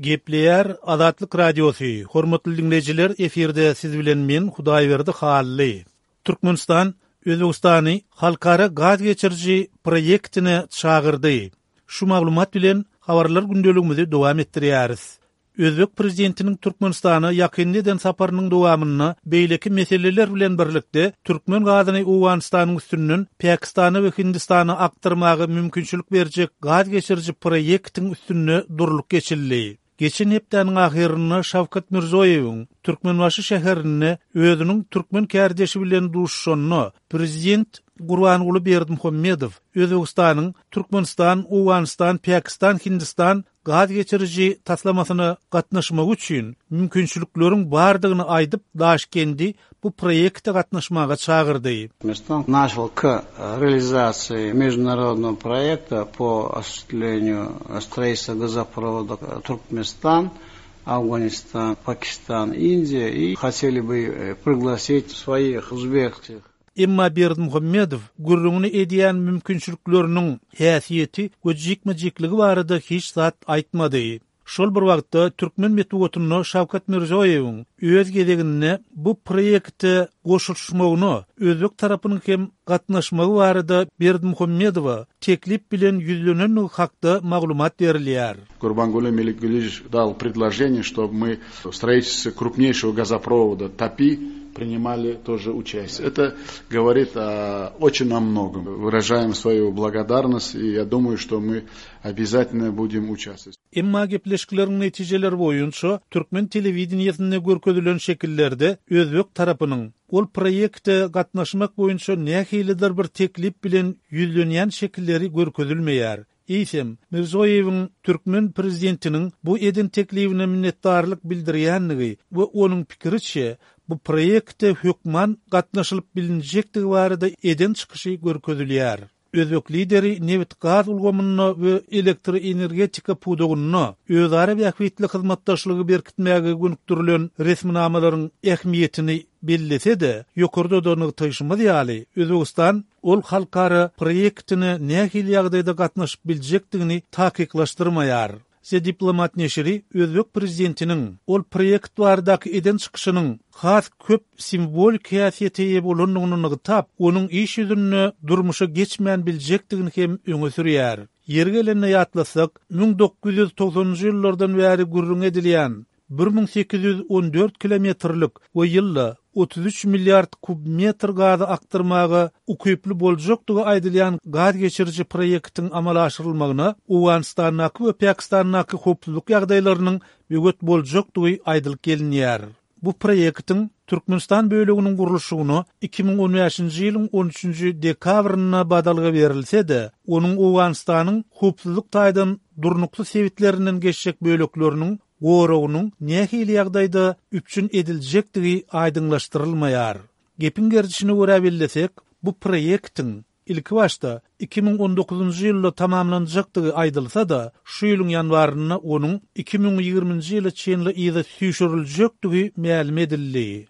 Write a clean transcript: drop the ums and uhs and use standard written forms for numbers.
Gepleýär Azatlyk Radiosy, Hormatly diňleýjiler, efirde siz bilen men, Hudaýberdi Hally. Türkmenistan Özbegistany halkara gaz geçiriji proýektine çagyrdy. Şu maglumat bilen habarlar gündeligimizi dowam etdirýäris. Özbek prezidentiniň Türkmenistana ýakynda eden saparynyň dowamynda beýleki meseleler bilen birlikde türkmen gazyny Owganystanyň üstünden Pakistana we Hindistana akdyrmaga mümkinçilik berjek gaz geçiriji proýektiň üstünde durlup geçildi. Geçen hepdäniň ahyrynda Şawkat Mirzoýewiň Türkmenbaşy şäherinde özüniň türkmen kärdeşi bilen duşuşanda prezident Gurbanguly Berdimuhamedow Özbegistanyň Türkmenistan, Owganystan, Pakistan, Hindistan gaz geçiriji taslamasyna gatnaşmagy üçin mümkinçilikleriň bardygyny aýdyp, Daşkendi bu proýekte gatnaşmaga çagyrdy. Türkmenistan начал к реализации международного проекта по осуществлению строительства газопровода Туркменистан, Афганистан, Пакистан, Индия и хотели бы пригласить своих узбекских Emma Berdimuhamedow gürrüňini edýän mümkinçilikleriniň häsiýeti we jikme-jikligi barada hiç zat aýtmady. Şol bir wagtda, türkmen metbugatynda Şawkat Mirziýoýewiň öz gezeginde bu proýekte goşulyşmagyna özbek tarapynyň hem gatnaşmagy barada Berdimuhamedowa teklip bilen ýüzlenendigi hakda maglumat berilýär. Gurbanguly Melikgulyýewiç dal predloženiýe, ştob my w stroitelstwe krupneýşego gazoprowoda TAPI priнимали тоже участие. Это говорит очень о многом. Выражаем свою благодарность и я думаю, что мы обязательно будем участвовать. Emma gepleşikleriň netijeleri boýunça türkmen telewideniýesinde görkezilen şekillerde özbek tarapynyň ol proýekte gatnaşmak boýunça nähilidir bir teklip bilen ýüzlenýän şekilleri görkezilmeýär. Eýsem, Mirzoýewiň türkmen prezidentiniň bu eden teklibine minnetdarlyk bildirýändigi we onuň pikiriçe, bu proýekte hökman gatnaşylyp bilinjekdigi barada eden çykyşy görkezilýär. Özbek Lideri nebit-gaz ulgamynda we elektroenergetika pudagynda özara bähbitli hyzmatdaşlygy berkitmäge gönükdirilen resminamalaryň ähmiýetini bellese-de, ýokarda-da nygtaýşymyz ýaly, Özbegistan ol halkara proýektine nähili ýagdaýda gatnaşyp biljekdigini takyklaşdyrmaýar. The Diplomat neşiri özbek prezidentiniň ol proýekt baradaky eden çykyşynyň has köp simwolik häsiýete eýe bolandygyny nygtap, onuň iş ýüzünde durmuşa geçmän biljekdigini hem öňe sürýär. Ýeri gelende ýatlasak, 1990-njy ýyllardan bäri gürrüňi edilýän 1814 kilometrlik we ýylda 33 milliard kubmetr gazy akdyrmaga ukyply boljakdygy aýdylýan gaz geçiriji proýektiň amala aşyrylmagyna Owganystandaky we Pakistandaky howpsuzlyk ýagdaýlarynyň böwet boljakdygy aýdylyp gelinýär. Bu proýektiň Türkmenistan böleginiň gurluşygyna 2015-nji ýylyň on üçünji dekabrynda badalga berilse-de, onuň Owganystanyň howpsuzlyk taýdan durnuksyz sebitlerinden geçjek bölekleriniň goragynyň nähili ýagdaýda üpjün ediljekdigi aýdyňlaşdyrylmaýar. Gepiň gerdişine görä bellesek, bu proýektiň ilkibaşda 2019-njy ýylda tamamlanjakdygy aýdylsa-da, şu ýylyň ýanwarynda onuň 2020-nji ýyla çenli yza süýşüriljekdigi mälim edildi.